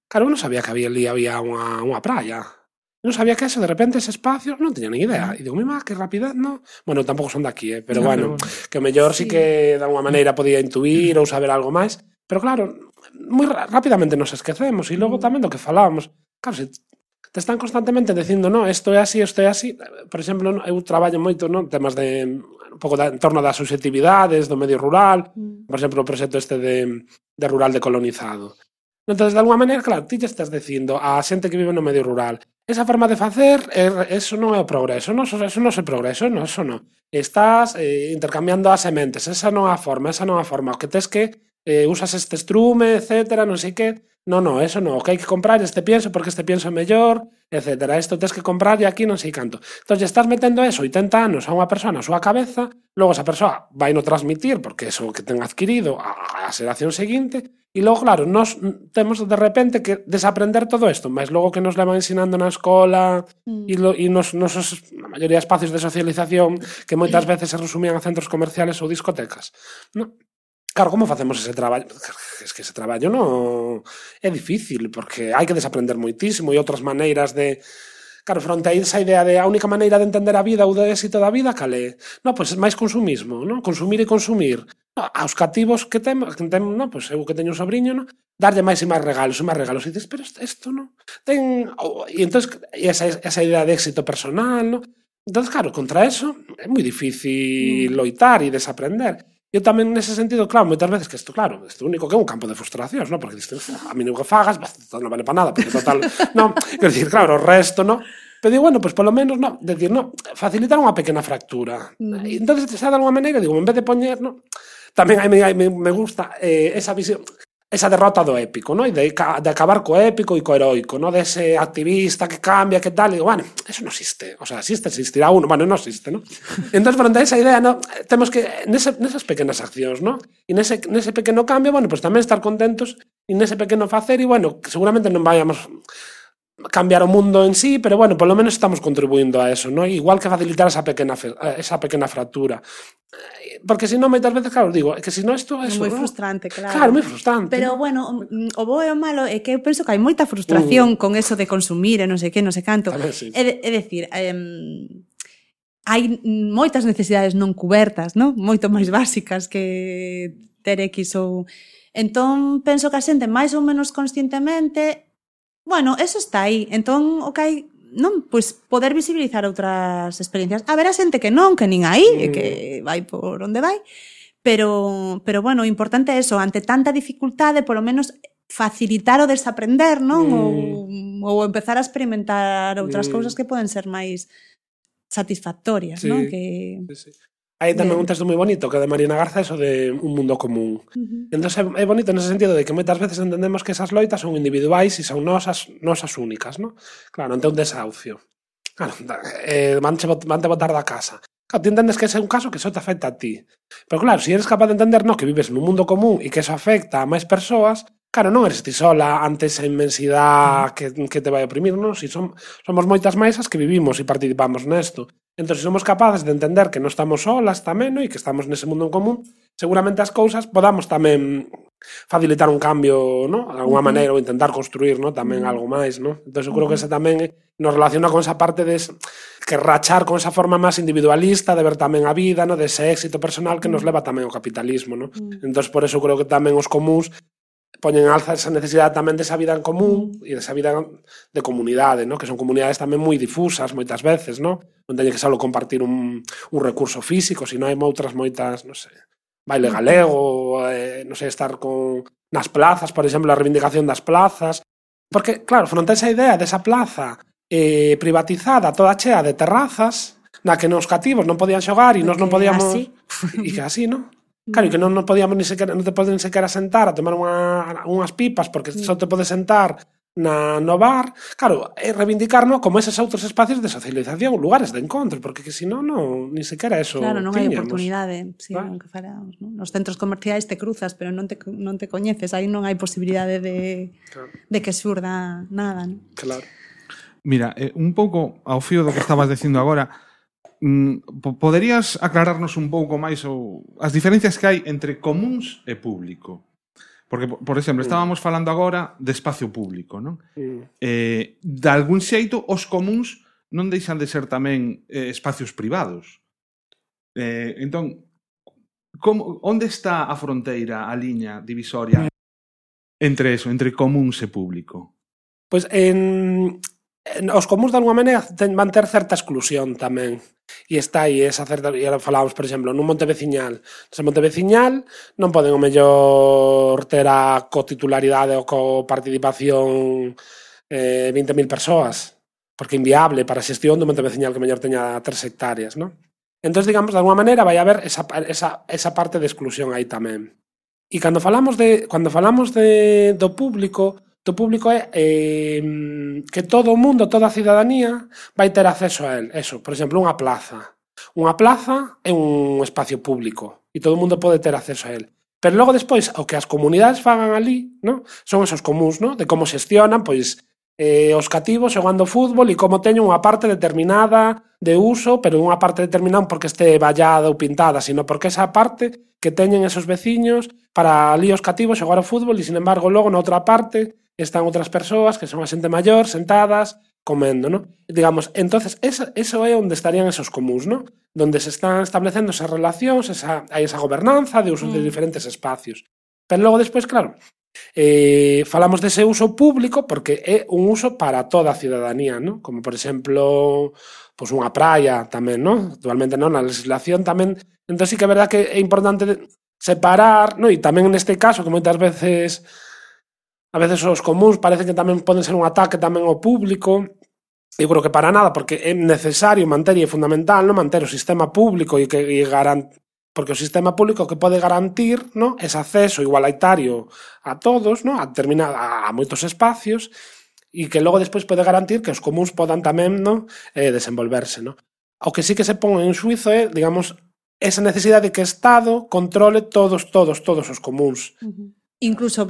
Claro, eu non sabía que había unha praia. Non sabía que eso, de repente, ese espacio, non teña ni idea. E digo, mima, que rapidez, non? Bueno, tampouco son daqui, pero bueno, que o mellor sí que de alguma maneira podía intuir ou saber algo máis. Pero claro, moi rápidamente nos esquecemos, e logo tamén do que falábamos. Claro, te están constantemente dicindo, no, isto é así, por exemplo, eu traballo moito, non, temas de un pouco en torno das subxetividades do medio rural, por exemplo, o proxecto este de rural decolonizado. Entón, de alguma maneira, claro, ti te estás dicindo a xente que vive no medio rural, esa forma de facer, eso non é o progreso, non, eso non é progreso, non, eso non. Estás intercambiando as sementes, esa non é a forma, o que tes que usas este estrume, etcétera, non sei que, non, eso non, o que hai que comprar este pienso porque este pienso é mellor, etcétera, isto tes que comprar e aquí non sei canto. Entón, estás metendo eso 80 anos a unha persona a súa cabeza, logo esa persoa vai no transmitir porque eso que ten adquirido a xeración seguinte, e logo, claro, nos temos de repente que desaprender todo isto, mas logo que nos levan ensinando na escola e nos na maioría de espacios de socialización que moitas veces se resumían a centros comerciales ou discotecas, non? Claro, como facemos ese traballo? Es que ese traballo non é difícil, porque hai que desaprender moitísimo e outras maneiras de... Claro, fronte a esa idea de a única maneira de entender a vida ou de éxito da vida, cal é? Non, pois máis consumismo, non? Consumir e consumir. Aos cativos que temos, non? Pois eu que teño un sobrinho, non? Darlle máis e máis regalos. E dices, pero isto non? E entón, esa idea de éxito personal, non? Entón, claro, contra eso é moi difícil loitar e desaprender. Eu tamén nese sentido, claro, moitas veces que isto, claro, isto único que é un campo de frustracións, non? Porque dices, a mí non que fagas, non vale para nada, porque total, non, quero dicir, claro, o resto, non? Pero digo, bueno, pues polo menos, non, decir, non, facilitar unha pequena fractura. E entón, xa de alguma maneira, digo, en vez de poñer, non, tamén me gusta esa visión, esa derrota do épico, non? E de acabar co épico e co heroico, non? Dese activista que cambia, que tal, e digo, bueno, eso non existe, o sea, existirá uno, bueno, non existe, non? Entón, fronte a esa idea, non, temos que, nesas pequenas accións, non? E nese pequeno cambio, bueno, pues tamén estar contentos e nese pequeno facer, e bueno, que seguramente non vayamos cambiar o mundo en sí, pero bueno, polo menos estamos contribuindo a eso, ¿no? Igual que facilitar esa pequena fractura. Porque si non, moitas veces, claro, digo, que si non isto é
moi frustrante, claro.
Claro, moi frustrante.
Pero, bueno, o bo e o malo é que eu penso que hai moita frustración con eso de consumir e non sei que, non sei canto.
Sí.
É dicir, hai moitas necesidades non cubertas, non? Moito máis básicas que ter X ou... Entón, penso que a xente máis ou menos conscientemente... Bueno, eso está aí. Entón, o que hai, non, pois poder visibilizar outras experiencias. Haberá xente que non, que nin aí, que vai por onde vai, pero bueno, o importante é eso, ante tanta dificultade, polo menos facilitar o desaprender, non? Ou empezar a experimentar outras cousas que poden ser máis satisfactorias,
sí,
non? Que...
Sí. Hai tamén un texto moi bonito que é de Mariana Garza, eso de un mundo común. Entón é bonito nese sentido de que moitas veces entendemos que esas loitas son individuais e son nosas únicas, non? Claro, ante un desahucio. Claro, vante botar da casa. Claro, ti entendes que ese é un caso que só te afecta a ti. Pero claro, se eres capaz de entender, no, que vives nun mundo común e que eso afecta a máis persoas, claro, non eres ti sola ante esa inmensidade que te vai oprimir, non? Si somos moitas máis as que vivimos e participamos nesto. Entón, se somos capaces de entender que non estamos solas tamén, no? E que estamos nese mundo en común, seguramente as cousas podamos tamén facilitar un cambio, no? De alguma maneira, ou intentar construir, no? Tamén algo máis, no? Entón, eu creo que ese tamén nos relaciona con esa parte de que rachar con esa forma máis individualista de ver tamén a vida, no? De ese éxito personal que nos leva tamén ao capitalismo, no? Entón, por eso creo que tamén os comuns poñen en alza esa necesidade tamén desa vida en común e desa vida de comunidade, ¿no? Que son comunidades tamén moi difusas moitas veces, ¿no? Non teñen que só compartir un recurso físico, sino hai moitas, non sei, baile galego, non sei, estar nas plazas, por exemplo, a reivindicación das plazas, porque, claro, fronte a esa idea desa plaza privatizada, toda chea de terrazas, na que nos cativos non podían xogar e nos non podíamos... E que así, ¿no? Claro, e que non podíamos ni sequera, non te poden sequera sentar a tomar unhas pipas porque só te podes sentar no bar. Claro, é reivindicarnos como eses outros espacios de socialización, lugares de encontro, porque que senón non, ni sequera eso
claro, non hai
tiñamos.
Oportunidade, sí, que faramos, ¿no? Nos centros comerciais te cruzas, pero non te coñeces, aí non hai posibilidade de que surda nada, ¿no?
Claro.
Mira, un pouco ao fío do que estabas dicindo agora, poderías aclararnos un pouco máis as diferencias que hai entre comuns e público? Porque, por exemplo, estábamos falando agora de espacio público, non? De algún xeito, os comuns non deixan de ser tamén espacios privados. Entón, onde está a fronteira, a liña divisoria entre eso, entre comuns e público?
Pois os comuns de alguma maneira van ter certa exclusión tamén. E está aí esa certa... E falábamos, por exemplo, nun monte veciñal. Nese monte veciñal non poden o mellor ter a cotitularidade ou coparticipación 20.000 persoas, porque é inviable para a xestión do monte veciñal que mellor teña 3 hectáreas, non? Entón, digamos, de alguma maneira vai haber esa parte de exclusión aí tamén. E cando falamos do público é que todo o mundo, toda a cidadanía vai ter acceso a él. Eso, por exemplo, unha plaza. Unha plaza é un espacio público e todo o mundo pode ter acceso a él. Pero logo despois, o que as comunidades fagan ali, ¿no? Son esos comuns, ¿no? De como xestionan, pois, os cativos xogando fútbol e como teñen unha parte determinada de uso, pero unha parte determinada porque este vallada ou pintada, sino porque esa parte que teñen esos veciños para ali os cativos xogar ao fútbol e, sin embargo, logo na outra parte están outras persoas que son a xente maior sentadas comendo, ¿no? Digamos, entonces eso é onde estarían esos comuns, ¿no? Donde se están establecendo esas relacións, hai esa gobernanza de uso de diferentes espacios. Pero logo despois, claro, falamos dese uso público porque é un uso para toda a cidadanía, ¿no? Como, por exemplo, pues unha praia tamén, ¿no? Actualmente non, na legislación tamén. Entón sí que é verdad que é importante separar, ¿no? E tamén neste caso, que moitas veces os comuns parece que tamén poden ser un ataque tamén ao público. Eu creo que para nada, porque é necesario manter e é fundamental, ¿no? Manter o sistema público e porque o sistema público que pode garantir, ¿no? Ese acceso igualitario a todos, ¿no? A moitos espacios e que logo despois pode garantir que os comuns podan tamén, ¿no? Desenvolverse, ¿no? O que sí que se pon en xuizo é, digamos, esa necesidade de que o Estado controle todos os comuns.
Incluso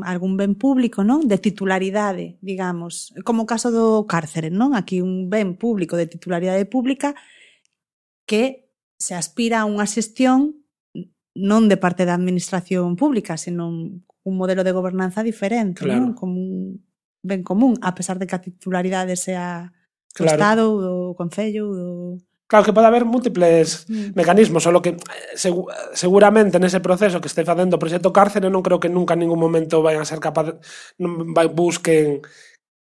algún ben público, non? De titularidade, digamos, como o caso do cárcere, non? Aquí un ben público de titularidade pública que se aspira a unha xestión non de parte da administración pública, senón un modelo de gobernanza diferente, claro, non? Como un ben común, a pesar de que a titularidade sea do Estado, do Concello, do...
Claro que pode haber múltiples mecanismos, só que seguramente nese proceso que este facendo o proxecto cárcere non creo que nunca en ningún momento vayan a ser capaz, busquen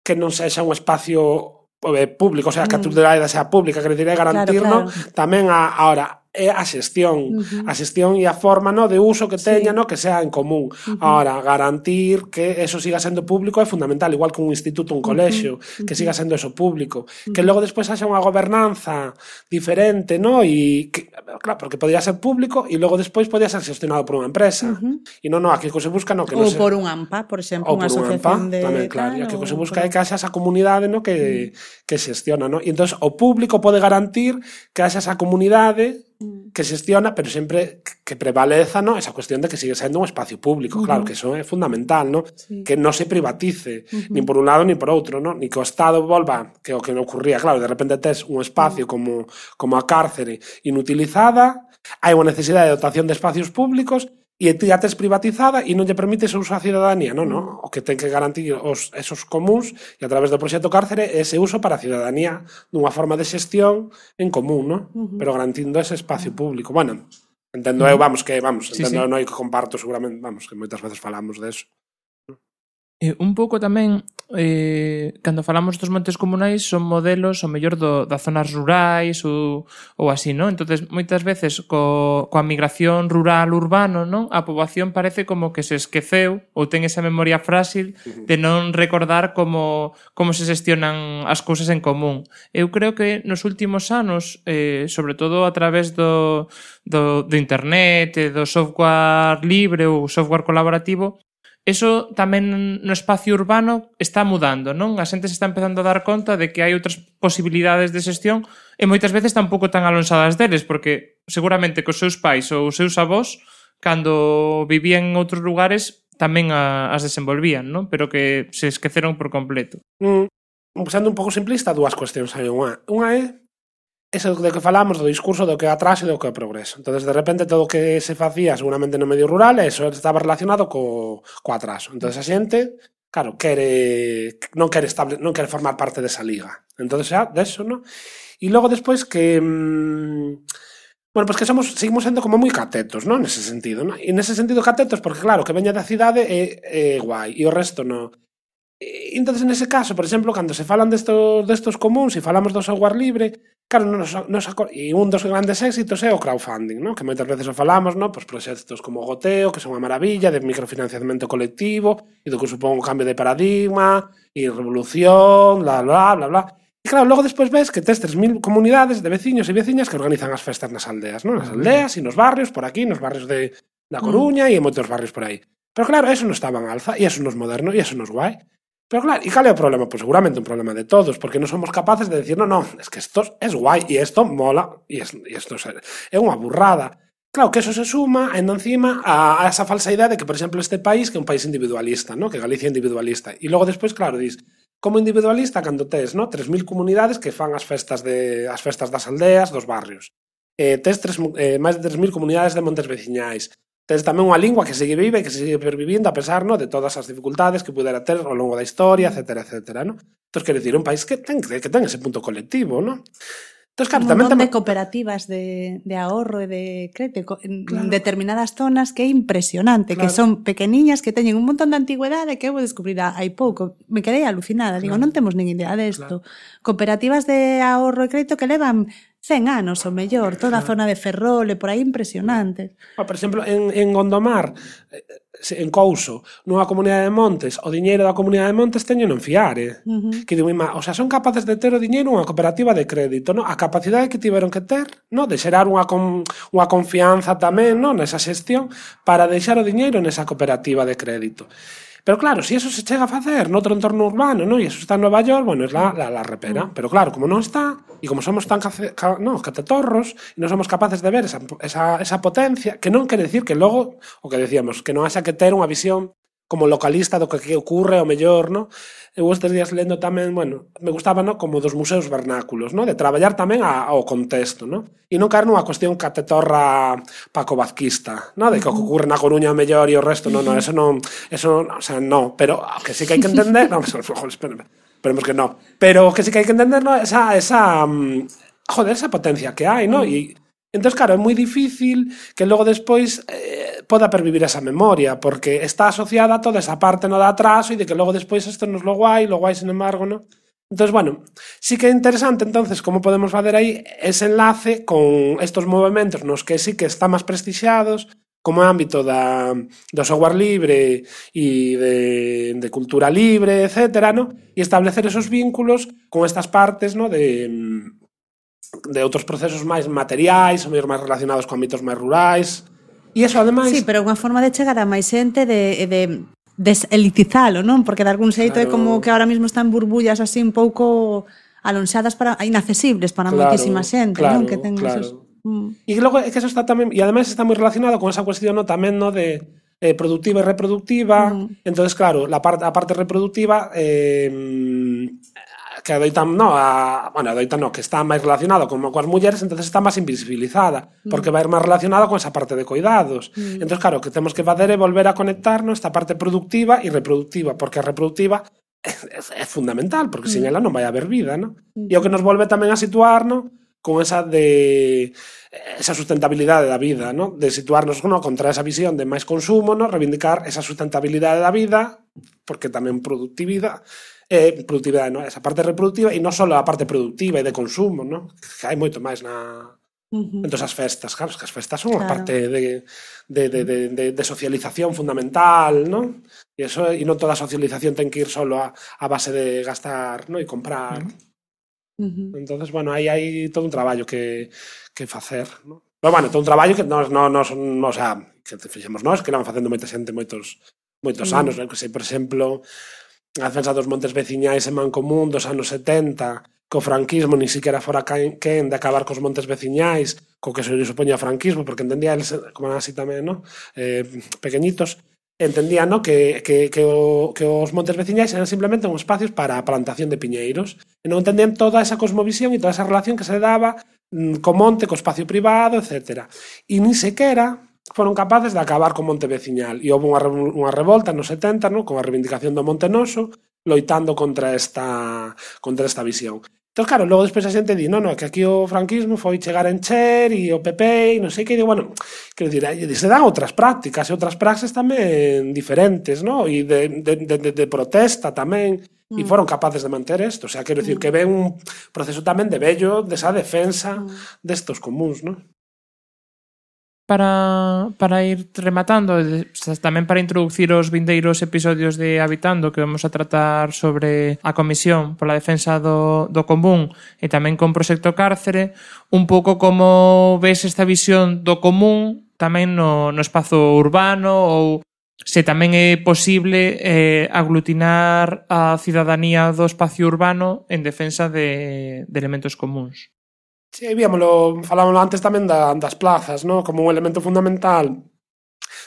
que non sexa un espacio público, o sea, que a titularidade sea pública, que decir, garantir, claro. Tamén ahora é a xestión, e a forma, no, de uso que teña, no, que sea en común. Ahora, garantir que eso siga sendo público é fundamental, igual que un instituto, un colexio, que siga sendo eso público. Que logo despois haxa unha gobernanza diferente, no, e que, claro, porque podría ser público e logo despois podría ser gestionado por unha empresa. E non, aquí o que se busca, no, que non
se... Ou por un AMPA, por exemplo, unha asociación de...
Tamén, claro, e o que se busca é que haxa esa comunidade, no, que xestiona, no. E entón, o público pode garantir que haxa esa comunidade que xestiona, pero sempre que prevaleza, ¿no? Esa cuestión de que sigue sendo un espacio público, claro, que eso é fundamental, ¿no? Sí. Que non se privatice, nin por un lado nin por outro, ¿no? Ni que o Estado volva, que o que non ocurría, claro, de repente tes un espacio como a cárcere inutilizada, hai unha necesidade de dotación de espacios públicos e ti a tes privatizada e non lle permites o uso á cidadanía, non? O que ten que garantir esos comuns e a través do proxecto cárcere ese uso para a cidadanía dunha forma de xestión en común, non? Pero garantindo ese espacio público. Bueno, entendo eu, entendo non hai que comparto seguramente, que moitas veces falamos deso.
Un pouco tamén, cando falamos dos montes comunais, son modelos, o mellor, das zonas rurais ou así, non? Entonces, moitas veces, coa migración rural-urbano, non? A poboación parece como que se esqueceu ou ten esa memoria frágil de non recordar como se xestionan as cousas en común. Eu creo que nos últimos anos, sobre todo a través do internet, do software libre ou software colaborativo, eso tamén no espacio urbano está mudando, non? A xente se está empezando a dar conta de que hai outras posibilidades de xestión e moitas veces tampouco tan alonsadas deles, porque seguramente que os seus pais ou os seus avós, cando vivían en outros lugares, tamén as desenvolvían, non? Pero que se esqueceron por completo.
Sendo un pouco simplista, dúas cuestións hai. Unha é ese do que falamos, do discurso do que é atraso e do que é progreso. Entonces, de repente, todo o que se facía seguramente no medio rural, eso estaba relacionado co atraso. Entonces, a xente, claro, non quere formar parte desa liga. Entonces, xa, deso, ¿no? E logo despois que... Bueno, pues que seguimos sendo como moi catetos, ¿no? Nese sentido, ¿no? E nese sentido catetos, porque claro, que veña da cidade é guai, e o resto non. E entonces, nese caso, por exemplo, cando se falan destos comuns e falamos do software libre, claro, e un dos grandes éxitos é o crowdfunding, ¿no? Que moitas veces o falamos, ¿no? Pues proxectos como Goteo, que son unha maravilla, de microfinanciamento colectivo, e do que supón un cambio de paradigma, e revolución, bla, bla, bla, bla. E claro, logo despois ves que tes 3.000 comunidades de veciños e veciñas que organizan as festas nas aldeas, ¿no? Nas aldeas e nos barrios, por aquí, nos barrios da Coruña e en moitos barrios por aí. Pero claro, eso non estaba en alza, e eso non é moderno, e eso non é guai. Pero claro, e cal é o problema? Pois seguramente un problema de todos, porque non somos capaces de decir, no, es que esto es guai, e isto mola, e isto é unha burrada. Claro, que eso se suma, ainda encima, a esa falsa idea de que, por exemplo, este país, que é un país individualista, ¿no? Que Galicia é individualista. E logo despois, claro, dis, como individualista, cando tes, ¿no? 3.000 comunidades que fan as festas das aldeas, dos barrios. Tes máis de 3.000 comunidades de montes veciñais. Tes tamén unha lingua que segue viva e que segue pervivindo a pesar, ¿no? De todas as dificultades que pudera ter ao longo da historia, etcétera, etcétera, ¿no? Entón, quero dicir, un país que ten ese punto colectivo, ¿no? Entón, claro,
un montón de cooperativas de ahorro e de crédito en determinadas zonas que é impresionante, que son pequeniñas, que teñen un montón de antigüedade que eu vou descubrir hai pouco. Me quedei alucinada, digo, non temos nin idea desto. Cooperativas de ahorro e crédito que levan 100 anos ou mellor, toda a zona de Ferrol e por aí impresionante.
Por exemplo, en Gondomar, en Couso, nunha comunidade de montes, o diñeiro da comunidade de montes teño non fiare. Que digo, o sea, son capaces de ter o diñeiro unha cooperativa de crédito, no? A capacidade que tiveron que ter, no? De xerar unha confianza tamén, no? Nesa xestión, para deixar o diñeiro nesa cooperativa de crédito. Pero claro, si eso se chega a facer noutro entorno urbano, ¿no? E eso está en Nova York, bueno, es la repera. Pero claro, como non está, e como somos tan catetorros, e non somos capaces de ver esa potencia, que non quere decir que logo, o que decíamos, que non haxa que ter unha visión como localista do que ocurre o mellor, ¿no? Eu estes días lendo tamén, bueno, me gustaba, ¿no? Como dos museos vernáculos, ¿no? De traballar tamén ao contexto, ¿no? E non caer nunha cuestión catetorra pacovazquista, ¿no? De que o que ocurre na Coruña o mellor e o resto, eso non, o sea, no, pero que sí que hai que entender, no, esperemos que no, pero que sí que hai que entender, ¿no? Esa potencia que hai, ¿no? E entón, claro, é moi difícil que logo despois poda pervivir esa memoria, porque está asociada a toda esa parte, no, de atraso, e de que logo despois isto non é lo guai, sin embargo, no? Entón, bueno, sí que é interesante, entonces, como podemos facer aí ese enlace con estos movimentos nos que sí que están máis prestixiados, como ámbito do software libre e de cultura libre, etcétera, no? E establecer esos vínculos con estas partes, no? De outros procesos máis materiais, ou máis relacionados con ámbitos máis rurais. E iso, ademais...
Sí, pero unha forma de chegar a máis xente de deselitizalo, non? Porque de algún xeito é como que ahora mismo están burbullas así un pouco alonxadas inaccesibles para moitísima xente, non? Que ten esos...
E logo é que eso está tamén, e ademais está moi relacionado con esa cuestión, no, tamén, no, de productiva e reproductiva. Entonces, claro, a parte reproductiva que adoitan, que está máis relacionado coas mulleres, entonces está máis invisibilizada, porque vai máis relacionada con esa parte de cuidados. Entonces, claro, o que temos que facer é volver a conectarnos esta parte productiva e reproductiva, porque a reproductiva é fundamental, porque sin ela non vai haber vida, ¿no? E o que nos volve tamén a situar, ¿no? Con esa sustentabilidade da vida, ¿no? De situarnos, ¿no? Contra esa visión de máis consumo, ¿no? Reivindicar esa sustentabilidade da vida, porque tamén productividade, ¿no? Esa parte reproductiva, e non só a parte productiva e de consumo, ¿no? Que hai moito máis en todas as festas, claro, que as festas son unha parte de socialización fundamental, ¿no? E non toda a socialización ten que ir solo a base de gastar, ¿no? E comprar. Entonces, bueno, aí hai todo un traballo que facer, ¿no? Pero, bueno, todo un traballo que o sea, que fixemos nós, que éramos facendo moita xente moitos anos, ¿no? Que sei, por exemplo, a defensa dos montes veciñais en Mancomún dos anos 70, que o franquismo ni siquiera fora quen de acabar cos montes veciñais, co que se supoña o franquismo, porque entendía eles, como así tamén, ¿no? Pequeñitos, entendían, ¿no? que os montes veciñais eran simplemente un espacios para a plantación de piñeiros, e non entendían toda esa cosmovisión e toda esa relación que se daba co monte, co espacio privado, etc. E ni sequera foron capaces de acabar co monte veciñal, e houve unha revolta nos 70, ¿no? Con a reivindicación do Monte Noso, loitando contra esta visión. Entón, claro, logo despois a xente di, non, que aquí o franquismo foi chegar a encher e o PP e non sei que, digo, bueno, quero dicir, se dan outras prácticas e outras praxes tamén diferentes, non? E de protesta tamén, e foron capaces de manter isto, o sea, quero dicir que ven un proceso tamén de vello desa defensa destos comuns, non?
Para ir rematando, tamén para introducir os vindeiros episodios de Habitando, que vamos a tratar sobre a Comisión pola Defensa do Común e tamén con Proxecto Cárcere, un pouco como ves esta visión do común tamén no espazo urbano, ou se tamén é posible aglutinar a cidadanía do espacio urbano en defensa de elementos comuns.
Sí, falámoslo antes tamén das plazas, ¿no? Como un elemento fundamental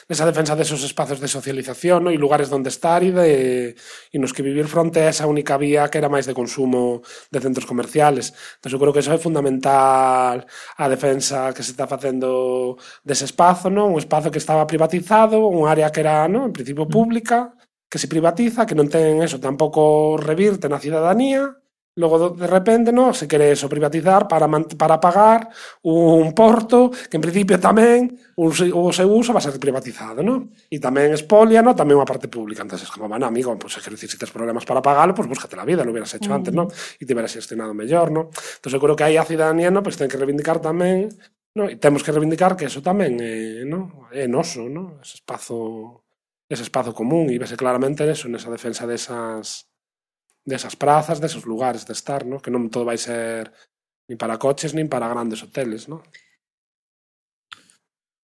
nesa defensa desos espacios de socialización, ¿no? E lugares onde estar e nos que vivir fronte a esa única vía que era máis de consumo de centros comerciales. Entón, eu creo que eso é fundamental a defensa que se está facendo dese espazo, ¿no? Un espazo que estaba privatizado, un área que era, ¿no? En principio pública, que se privatiza, que non ten eso, tampouco revirte na cidadanía. Logo, de repente, no, se quere eso privatizar para pagar un porto que, en principio, tamén o seu uso va a ser privatizado, no? E tamén expolia, no? Tamén unha parte pública. Entón, como, bueno, amigo, pues, quero dicir, se tes problemas para pagarlo, pues búscate la vida, lo hubieras hecho antes, no? E te hubieras gestionado mellor, no? Entón, eu creo que aí a cidadanía, no, pues ten que reivindicar tamén, no? E temos que reivindicar que eso tamén no? É noso, no? Ese espazo común, e vese claramente eso, nesa defensa desas prazas, desos lugares de estar, ¿no? Que non todo vai ser nin para coches nin para grandes hoteles, ¿no?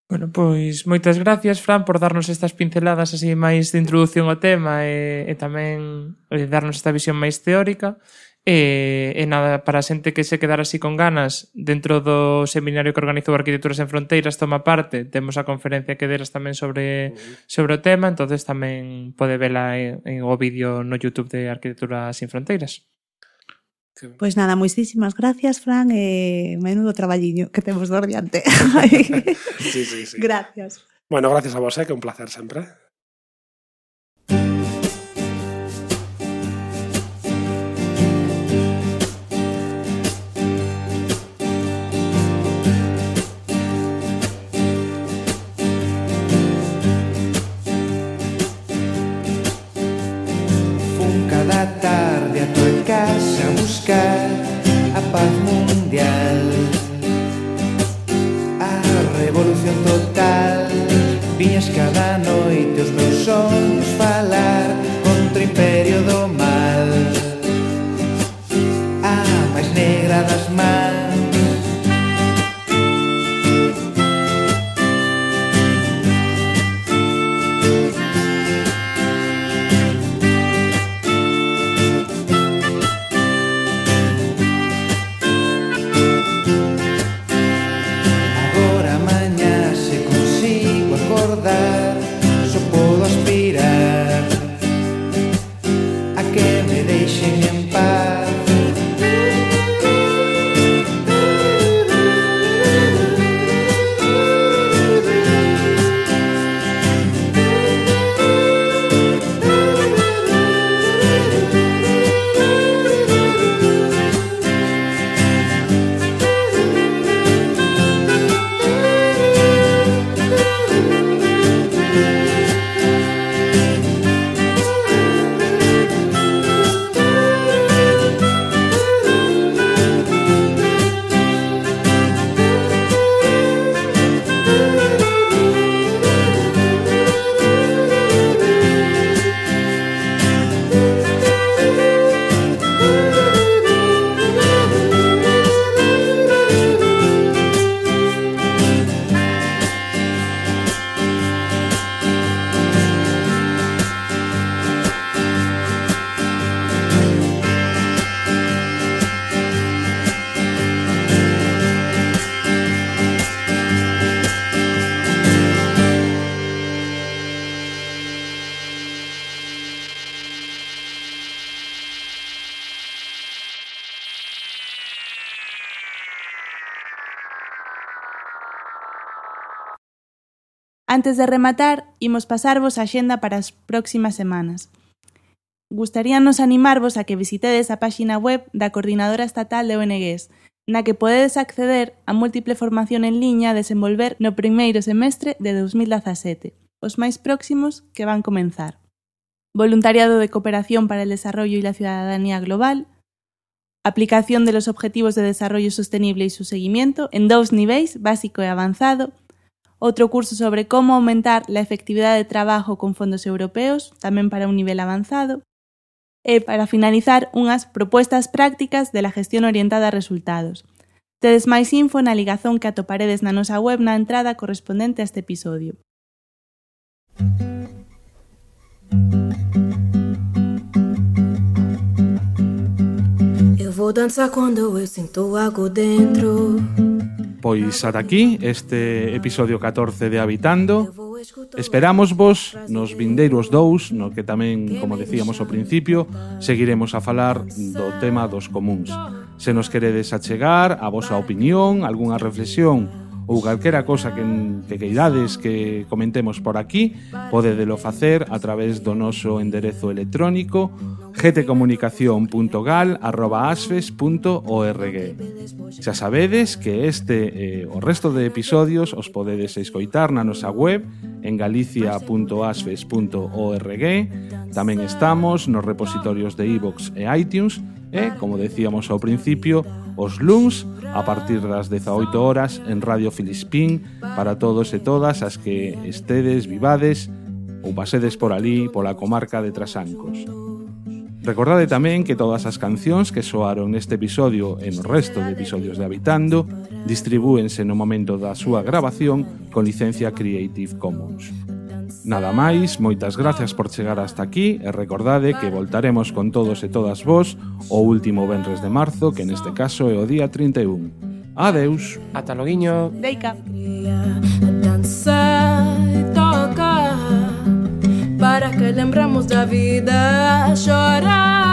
Bueno, pois moitas gracias, Fran, por darnos estas pinceladas así máis de introducción ao tema e tamén darnos esta visión máis teórica. E nada, para a xente que se quedara así con ganas, dentro do seminario que organizou Arquitecturas en Fronteiras toma parte, temos a conferencia que deras tamén sobre o tema, entonces tamén pode vela en o vídeo no YouTube de Arquitecturas en Fronteiras.
Pois nada, moitísimas gracias, Fran, e menudo traballiño que temos do diante.
Sí.
Gracias.
Bueno, gracias a vos, que é un placer sempre.
Cada tarde a tua casa a buscar a paz mundial, a revolución total. Viñas cada noite os meus sonhos falar contra o imperio do mal, a máis negra das mans. Só podo aspirar a que me deixen en paz.
Antes de rematar, imos pasarvos a axenda para as próximas semanas. gustaríanos animarvos a que visitedes a páxina web da Coordinadora Estatal de ONGs, na que podedes acceder a múltiple formación en liña a desenvolver no primeiro semestre de 2017, os máis próximos que van comenzar. Voluntariado de cooperación para el desarrollo y la ciudadanía global, aplicación de los Objetivos de Desarrollo Sostenible y su seguimiento en 2 niveis, básico e avanzado, outro curso sobre cómo aumentar la efectividad de trabajo con fondos europeos, tamén para un nivel avanzado, e, para finalizar, unhas propuestas prácticas de la gestión orientada a resultados. Tedes máis info na ligazón que atoparedes na nosa web na entrada correspondente a este episodio.
Eu vou dançar quando eu sinto algo dentro.
Pois ata aquí este episodio 14 de Habitando. Esperamos vos nos vindeiros 2, no que tamén, como decíamos ao principio, seguiremos a falar do tema dos comuns. Se nos queredes achegar a vosa opinión, algunha reflexión ou calquera cosa que queirades que comentemos por aquí, podedelo facer a través do noso enderezo electrónico gtcomunicacion.gal@asfes.org. Xa sabedes que este o resto de episodios os podedes escoitar na nosa web en galicia.asfes.org. Tamén estamos nos repositorios de iVoox e iTunes e, como decíamos ao principio, os luns a partir das 18 horas en Radio Filispín para todos e todas as que estedes, vivades ou pasedes por ali, pola comarca de Trasancos. Recordade tamén que todas as cancións que soaron neste episodio e no resto de episodios de Habitando distribúense no momento da súa grabación con licencia Creative Commons. Nada máis, moitas gracias por chegar hasta aquí e recordade que voltaremos con todos e todas vos o último venres de marzo, que neste caso é o día 31. Adeus.
Ata loguiño.
Deica.
Dançar e tocar para que lembramos da vida, chorar.